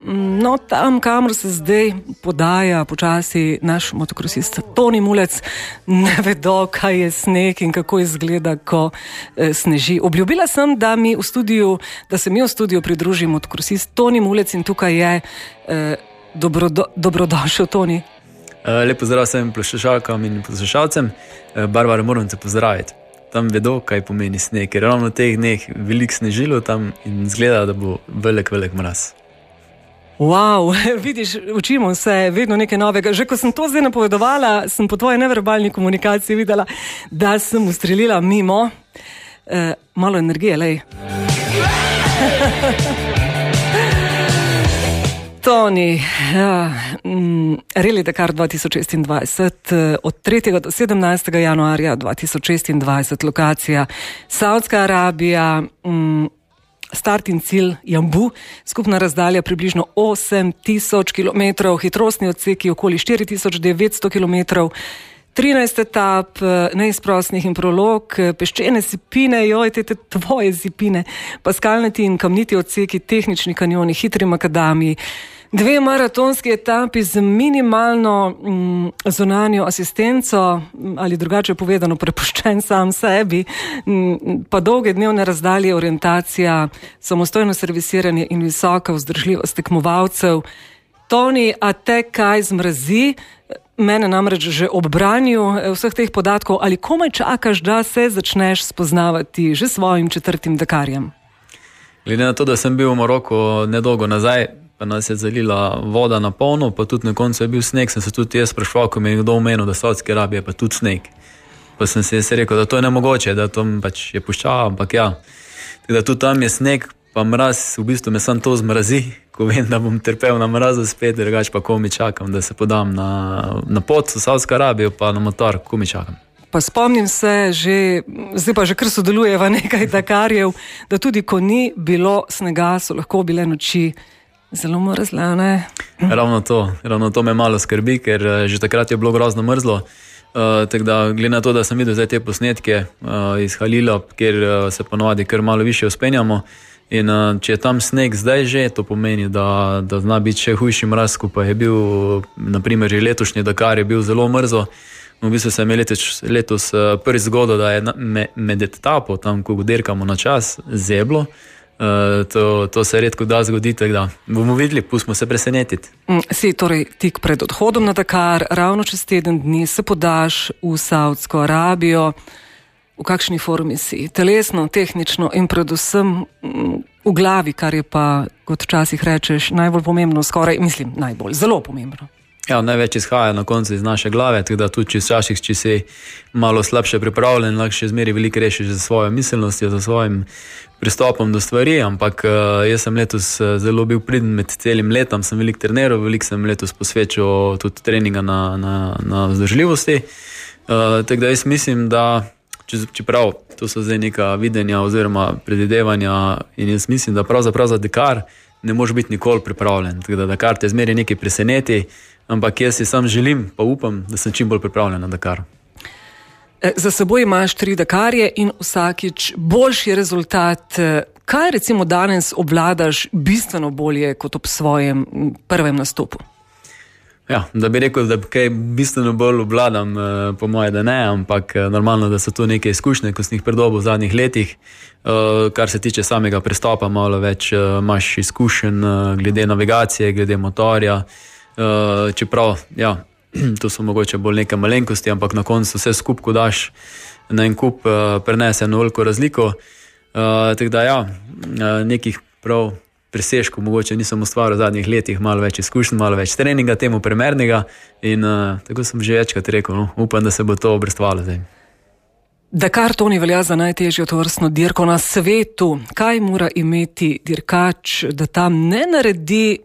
No, tam, kamor se zdaj podaja počasi naš motokrosist Toni Mulec, ne vedo, kaj je sneg in kako izgleda, ko sneži. Obljubila sem, da se mi v studiu pridruži motokrosist Toni Mulec in tukaj je dobrodošel, Toni. Lep pozdrav vsem poslušalkam in poslušalcem. Barbara, moram te pozdraviti. Tam vedo, kaj pomeni sneg, ker ravno v teh dneh veliko snežilo tam in izgleda, da bo velik mraz. Wow, vidiš, učimo se vedno nekaj novega. Že ko sem to zdaj napovedovala, sem po tvoji neverbalni komunikaciji videla, da sem ustrelila mimo. Malo energije, lej. Toni, Rally Dakar 2026, od 3. do 17. januarja 2026, lokacija Saudska Arabija, start in cilj Jambu, skupna razdalja približno 8000 km, hitrostni odseki okoli 4900 km, 13 etap, neizprostnih in prolog, peščene sipine, te tvoje sipine, pa skalnati in kamniti odseki, tehnični kanjoni, hitri makadami, 2 maratonski etapi z minimalno zunanjo asistenco, ali drugače povedano prepuščen sam sebi, pa dolge dnevne razdalje, orientacija, samostojno servisiranje in visoka vzdržljivost tekmovalcev. Toni, a te kaj zmrazi? Mene namreč že ob branju vseh teh podatkov, ali komaj čakaš, da se začneš spoznavati že svojim 4. Dakarjem? Glede na to, da sem bil v Maroku nedolgo nazaj, pa nas je zalila voda na polno, pa tudi na koncu je bil sneg, sem se tudi jaz spraševal, ko mi je kdo omenil, da Saudske Arabije pa tudi sneg. Pa sem se rekel, da to je nemogoče, da to pač je puščava, ampak ja. Tako da tudi tam je sneg, pa mraz, v bistvu me sam to zmrazi, ko vem, da bom trpel na mrazu spet, drugače pa ko mi čakam, da se podam na pot v Saudsko Arabijo, pa na motor, ko mi čakam. Pa spomnim se, zdaj pa že kar sodelujeva nekaj Dakarjev, da tudi ko ni bilo snega, so lahko bile noči zelo mrzle, ne? Ravno to me malo skrbi, ker že takrat je bilo grozno mrzlo. Tako da, glede na to, da sem videl zdaj te posnetke iz Halila, kjer se ponovadi kar malo više uspenjamo, in če je tam sneg zdaj že, to pomeni, da zna biti še hujši mraz, ko pa je bil, naprimer, že letošnji Dakar je bil zelo mrzo. V bistvu se je letos prvi zgodil, da je med etapo, tam, ko dirkamo na čas, zeblo. To se redko da zgoditi, tako da bomo videli, pustimo se presenetiti. Si torej tik pred odhodom na Dakar, ravno čez teden dni se podaš v Saudsko Arabijo. V kakšni formi si? Telesno, tehnično in predvsem v glavi, kar je pa, kot včasih rečeš, najbolj pomembno, zelo pomembno. Ja, največ izhaja na koncu iz naše glave, tako da tudi včasih, če si malo slabše pripravljen, lahko še zmeri veliko rešiš za svojo miselnostjo, za svojim pristopom do stvari, ampak jaz sem letos zelo bil priden med celim letom, sem veliko treniral, veliko sem letos posvečal tudi treninga na vzdržljivosti, tako da jaz mislim, da čeprav to so zdaj neka videnja oziroma predvidevanja in jaz mislim, da pravzaprav za Dakar ne može biti nikoli pripravljen, tako da Dakar te zmeri nekaj preseneti, ampak jaz si sam želim, pa upam, da sem čim bolj pripravljen na Dakar. Za seboj imaš 3 Dakarje in vsakič boljši rezultat. Kaj recimo danes obvladaš bistveno bolje kot ob svojem prvem nastopu? Ja, da bi rekel, da kaj bistveno bolj obvladam, po moje, da ne, ampak normalno, da so to neke izkušnje, ko sem jih predobil v zadnjih letih. Kar se tiče samega prestopa, malo več imaš izkušenj glede navigacije, glede motorja, čeprav, ja, to so mogoče bolj neke malenkosti, ampak na koncu vse skupaj, ko daš na en kup, prenese eno veliko razliko. Tako da, ja, nekih prav presežkov mogoče nisem ustvaril v zadnjih letih, malo več izkušenj, malo več treninga temu primernega in tako sem že večkrat rekel, no, upam, da se bo to obrestovalo zdaj. Dakar, Toni, velja za najtežjo tovrstno dirko na svetu. Kaj mora imeti dirkač, da tam ne naredi,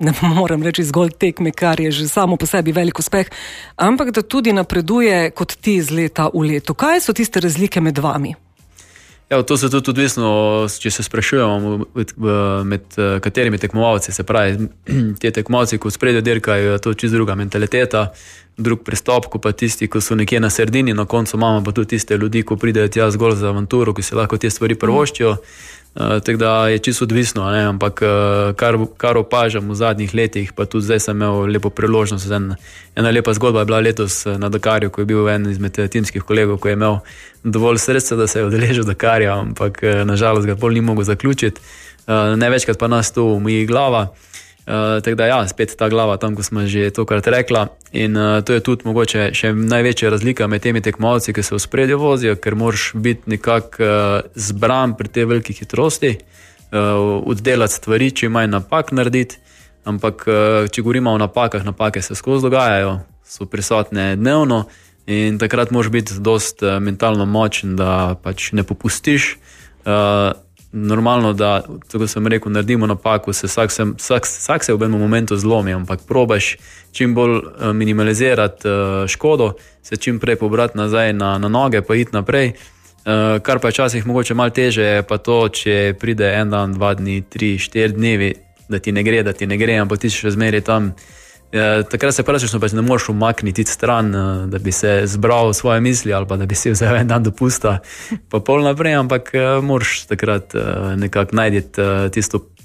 ne moram reči zgolj tekme, kar je že samo po sebi velik uspeh, ampak da tudi napreduje kot ti iz leta v leto? Kaj so tiste razlike med vami? Ja, to se tudi odvisno, če se sprašujemo med katerimi tekmovalci, se pravi, te tekmovalci, ko spredje dirkajo, to je čisto druga mentaliteta, drug pristop, ko pa tisti, ko so nekje na sredini, na koncu imamo pa tudi tiste ljudi, ko pridejo tja zgolj za avanturo, ki se lahko te stvari prvoščijo, Tako da je čisto odvisno, ne? Ampak kar opažam v zadnjih letih, pa tudi zdaj sem imel lepo priložnost. Ena lepa zgodba je bila letos na Dakarju, ko je bil en izmed timskih kolegov, ko je imel dovolj sredstva, da se je udeležil Dakarja, ampak nažalost ga pol ni mogel zaključiti. Največkrat pa nas tu umijí glava. Tako da ja, spet ta glava tam, ko smo že tokrat rekla, in to je tudi mogoče še največja razlika med temi tekmovalci, ki se v spredju vozijo, ker moraš biti nekako zbran pri tej veliki hitrosti, oddelati stvari, če manj napak narediti, ampak če govorimo o napakah, napake se skozi dogajajo, so prisotne dnevno in takrat moraš biti dost mentalno močen, da pač ne popustiš. Normalno, da, tako sem rekel, naredimo napako, vsak se v enem momentu zlomi, ampak probaš čim bolj minimalizirati škodo, se čim prej pobrati nazaj na noge, pa iti naprej. Kar pa je včasih mogoče malo teže, je pa to, če pride en dan, 2 dni, 3, 4 dnevi, da ti ne gre, ampak ti še zmeraj tam. Takrat se praktično pač ne moreš umakniti stran, da bi se zbral svoje misli ali pa da bi si vzel en dan dopusta pa pol naprej, ampak moraš takrat nekako najti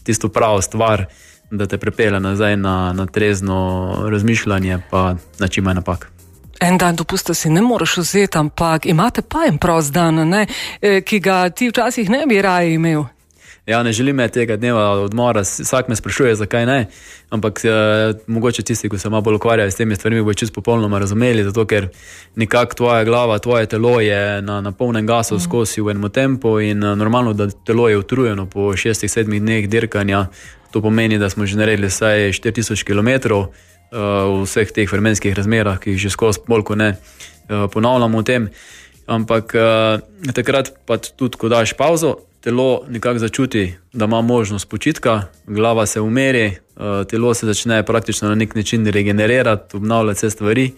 tisto pravo stvar, da te pripelje nazaj na trezno razmišljanje pa na čim manj napak. En dan dopusta si ne moreš vzeti, ampak imate pa en prost dan, ne? Ki ga ti včasih ne bi raje imel. Ja, ne želim tega dneva odmora, vsak me sprašuje, zakaj ne, ampak mogoče tisti, ko se malo bolj ukvarjajo s temi stvarmi, bo čisto popolnoma razumeli, zato ker nekako tvoja glava, tvoje telo je na polnem gasu skozi v enem tempu in normalno, da telo je utrujeno po 6-7 dneh dirkanja, to pomeni, da smo že naredili vsaj 4000 km v vseh teh vremenskih razmerah, ki jih že skozi bolj ko ne ponavljamo o tem, ampak takrat pa tudi, ko daš pauzo, telo nekako začuti, da ima možnost počitka, glava se umeri, telo se začne praktično na nek način regenerirati, obnavljati vse stvari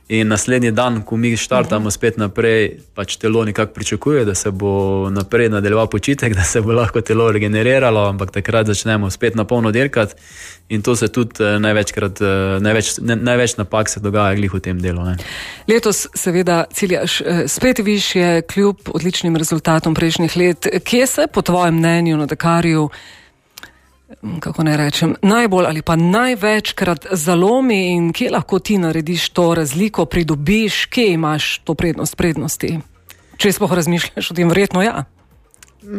in naslednji dan, ko mi štartamo spet naprej, pač telo nekako pričakuje, da se bo naprej nadaljeval počitek, da se bo lahko telo regeneriralo, ampak takrat začnemo spet na polno dirkati in to se tudi največ napak se dogaja glih v tem delu. Ne. Letos seveda ciljaš spet višje, kljub odličnim rezultatom prejšnjih let. Kje se po tvojem mnenju na Dakarju, kako ne rečem, najbolj ali pa največkrat zalomi in kje lahko ti narediš to razliko, pridobiš, kje imaš to prednosti? Če sploh razmišljaš o tem, verjetno ja.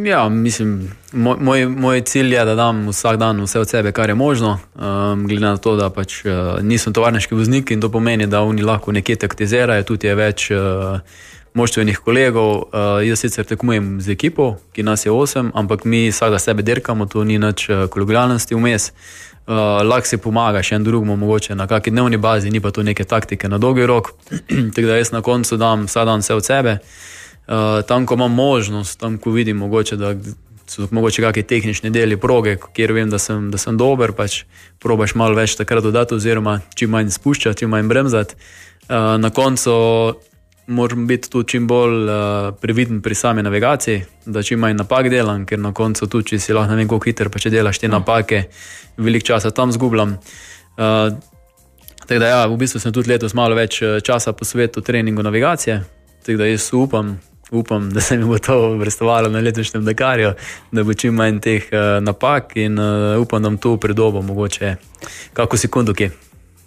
Ja, mislim, moj cilj je, da dam vsak dan vse od sebe, kar je možno, glede na to, da pač nisem tovarniški voznik in to pomeni, da oni lahko nekje taktizirajo, tudi je več moštvenih kolegov. Jaz sicer tekmujem z ekipo, ki nas je 8, ampak mi vsega sebe dirkamo, to ni nič kolegialnosti vmes. Lahko si pomagaš en drugemu mogoče na kakšni dnevni bazi, ni pa to neke taktike na dolgi rok, tako da jaz na koncu dam vsak dan vse od sebe. Tam, ko imam možnost, tam, ko vidim mogoče, da so mogoče kakšni tehnični deli proge, kjer vem, da sem dober, pač probaš malo več takrat dodati oziroma čim manj spuščati, čim manj bremzati. Na koncu moram biti tu čim bolj previden pri sami navigaciji, da čim manj napak delam, ker na koncu tu, če si lahko ne vem koliko hiter, pa če delaš te napake, veliko časa tam zgubljam. Tako da ja, v bistvu sem tudi letos malo več časa posvetil treningu navigacije, tako da jaz upam, da se mi bo to vrstovalo na letošnjem Dakarju, da bo čim manj teh napak in upam, da bom tu pridobil mogoče kako sekundo kje.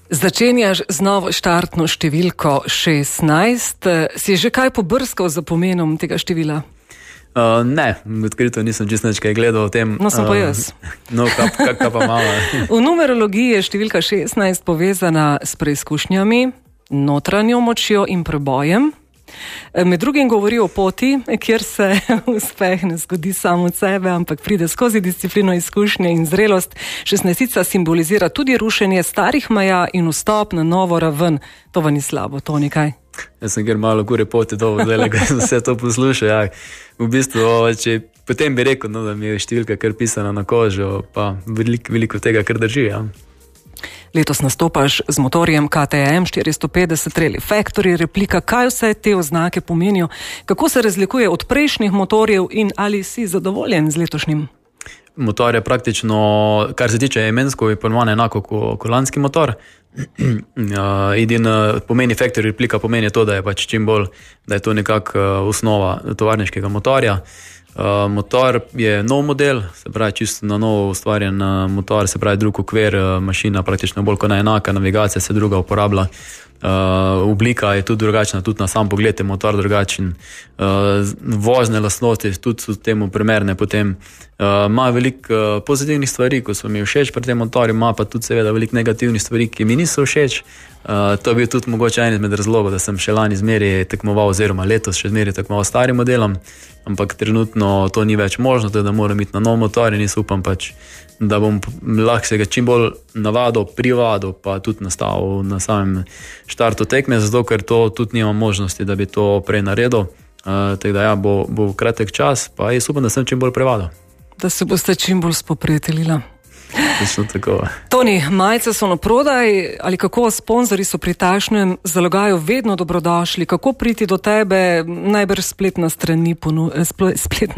Začenjaš z novo štartno številko 16. Si že kaj pobrskal za pomenom tega števila? Ne, odkrito nisem čisto nič kaj gledal o tem. No, sem pa jaz. No, kaj pa malo. V numerologiji je številka 16 povezana s preizkušnjami, notranjo močjo in prebojem. Med drugim govori o poti, kjer se uspeh ne zgodi samo od sebe, ampak pride skozi disciplino, izkušnje in zrelost. 16 simbolizira tudi rušenje starih meja in vstop na novo raven. To pa ni slabo, to nekaj. Jaz sem kjer malo gore poti dolgo, zdaj, ko sem vse to poslušal. Ja. V bistvu, če potem bi rekel, no, da mi je številka kar pisana na kožo, pa veliko tega kar drži. Ja. Letos nastopaš z motorjem KTM 450 Rally Factory replika. Kaj vse te oznake pomenijo? Kako se razlikuje od prejšnjih motorjev in ali si zadovoljen z letošnjim? Motor je praktično, kar se tiče imensko, je ponovno enako kot lanski motor. Pomeni Factory replika, pomeni to, da je pač čim bolj, da je to nekako osnova tovarniškega motorja. Motor je nov model, se pravi čisto na novo ustvarjen motor, se pravi drug okvir, mašina praktično bolj kot enaka, navigacija se druga uporablja. Oblika je tudi drugačna, tudi na sam pogled je motor drugačen. Vozne lastnosti tudi so temu primerne. Potem ima veliko pozitivnih stvari, ko so mi všeč pri tem motorju, ima pa tudi seveda veliko negativnih stvari, ki mi niso všeč. To je bil tudi mogoče en izmed razlogov, da sem še lani zmeri tekmoval, oziroma letos še zmeri tekmoval s starim modelom, ampak trenutno to ni več možno, da moram iti na nov motor in jaz upam pač, da bom lahko se ga čim bolj navadil, privadil, pa tudi nastavil na samem štartu tekme, zato ker to tudi nimam možnosti, da bi to prej naredil. Tako da ja, bo kratek čas, pa jaz upam, da sem čim bolj privadil. Da se boste čim bolj spoprijateljila. Tako. Toni, majice so na prodaj, ali kako sponzorji so pri takšnem zalogaju vedno dobrodošli, kako priti do tebe, najbrž spletna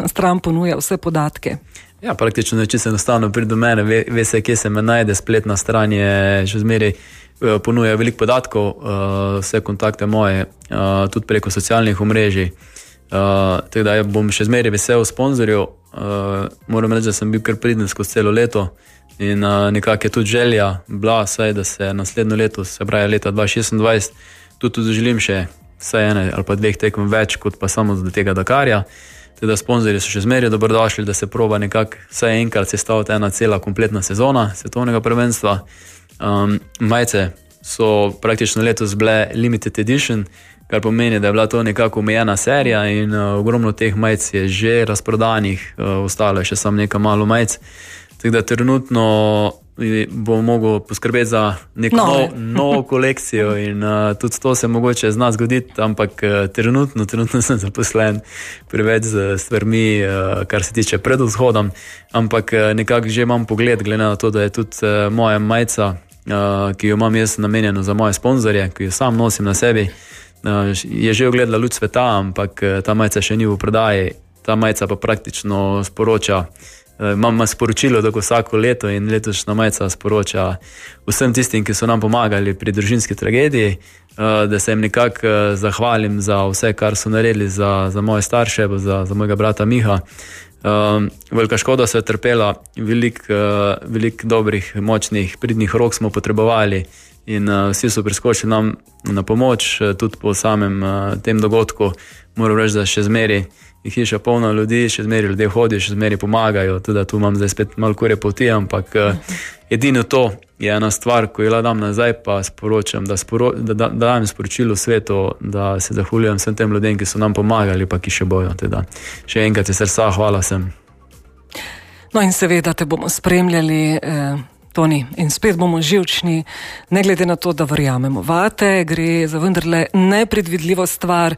stran ponuja vse podatke. Ja, praktično, če se enostavno pride do mene, ve se, kje se me najde, spletna stran je še zmeraj ponuja veliko podatkov, vse kontakte moje, tudi preko socialnih omrežij. Tako da bom še zmeraj vesel sponzorjev. Moram reči, da sem bil kar priden skozi celo leto in nekako je tudi želja bila, saj, da se naslednjo leto, se pravi leta 2026, tudi želim še vsaj ene ali pa dveh tekem več, kot pa samo do tega Dakarja. Teda sponzorji so še zmeraj dobrodošli, da se proba nekako vsaj enkrat sestaviti ena cela kompletna sezona svetovnega prvenstva. Majice so praktično letos bile limited edition, kar pomeni, da je bila to nekako omejena serija in ogromno teh majic je že razprodanih, ostalo je še samo nekaj malo majic. Tako da trenutno bom mogel poskrbeti za neko novo kolekcijo in tudi to se mogoče zna zgoditi, ampak trenutno sem zaposlen preveč z stvarmi, kar se tiče pred vzhodom, ampak nekako že imam pogled, glede na to, da je tudi moja majica, ki jo imam jaz namenjeno za moje sponzorje, ki jo sam nosim na sebi, je že ogledala luč sveta, ampak ta majica še ni v prodaji. Ta majica pa praktično sporoča, imam sporočilo, da vsako leto in letošnja majica sporoča vsem tistim, ki so nam pomagali pri družinski tragediji, da se jim nekako zahvalim za vse, kar so naredili za moje starše, za mojega brata Miha. Velika škoda se je trpela, veliko dobrih, močnih, pridnih rok smo potrebovali in vsi so priskočili nam na pomoč, tudi po samem tem dogodku. Moram reči, da še zmeri je hiša polna ljudi, še zmeri ljudje hodijo, še zmeri pomagajo, tudi tu imam zdaj spet malo kure poti, ampak edino to je ena stvar, ko jo dam nazaj, pa sporočam, da dajem sporočilo svetu, da se zahvaljujem vsem tem ljudem, ki so nam pomagali, pa ki še bojo. Teda. Še enkrat iz srca hvala vsem. No in seveda te bomo spremljali, Toni, in spet bomo živčni, ne glede na to, da verjamemo vate, gre za vendarle nepredvidljivo stvar.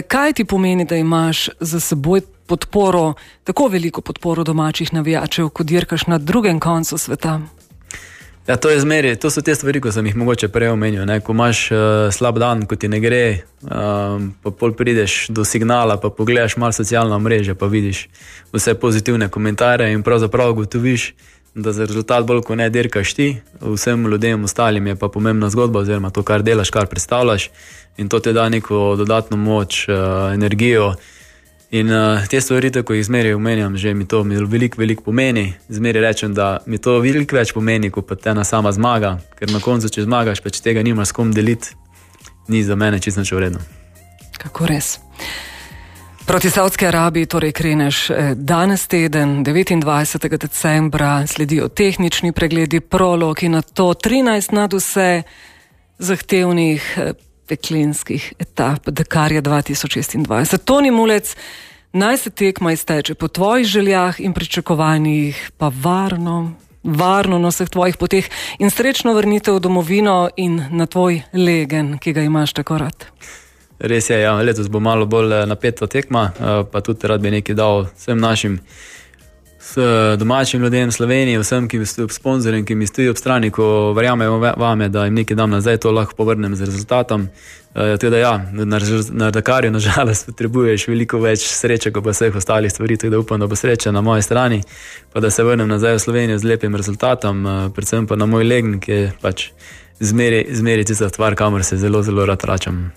Kaj ti pomeni, da imaš za seboj podporo, tako veliko podporo domačih navijačev, kot dirkaš na drugem koncu sveta? Ja, to so te stvari, ko sem jih mogoče prej omenil, ne? Ko imaš slab dan, ko ti ne gre, pa pol prideš do signala, pa pogledaš malo socialna mreža, pa vidiš vse pozitivne komentarje in pravzaprav gotoviš, da za rezultat bolj, ko ne dirkaš ti, vsem ljudem ostalim je pa pomembna zgodba, oziroma to, kar delaš, kar predstavljaš, in to te da neko dodatno moč, energijo. In te stvari, ko jih zmeraj omenjam, že mi to veliko pomeni. Zmeraj rečem, da mi to veliko več pomeni, kot pa ena sama zmaga, ker na koncu, če zmagaš, pa če tega nimaš s kom deliti, ni za mene čisto nič vredno. Kako res? Proti Saudski Arabiji torej kreneš danes teden, 29. decembra, sledijo tehnični pregledi, prolog in na to 13 nadvse zahtevnih peklenskih etap Dakarja 2026. Toni Mulec, naj se tekma izteče po tvojih željah in pričakovanjih, pa varno na vseh tvojih poteh in srečno vrnitev v domovino in na tvoj legen, ki ga imaš tako rad. Res je, ja, letos bo malo bolj napeta tekma, pa tudi rad bi nekaj dal vsem našim domačim ljudem v Sloveniji, vsem, ki mi stojijo ob sponzorjem, ki mi stojijo ob strani, ko verjamejo vame, da jim nekaj dam nazaj, to lahko povrnem z rezultatom. Teda ja, na Dakarju nažalost potrebuješ veliko več sreče, kot pa vseh ostalih stvari, tako da upam, da bo sreča na moji strani, pa da se vrnem nazaj v Slovenijo z lepim rezultatom, predvsem pa na moj legen, ki je pač zmeri tista stvar, kamor se zelo, zelo rad vračam.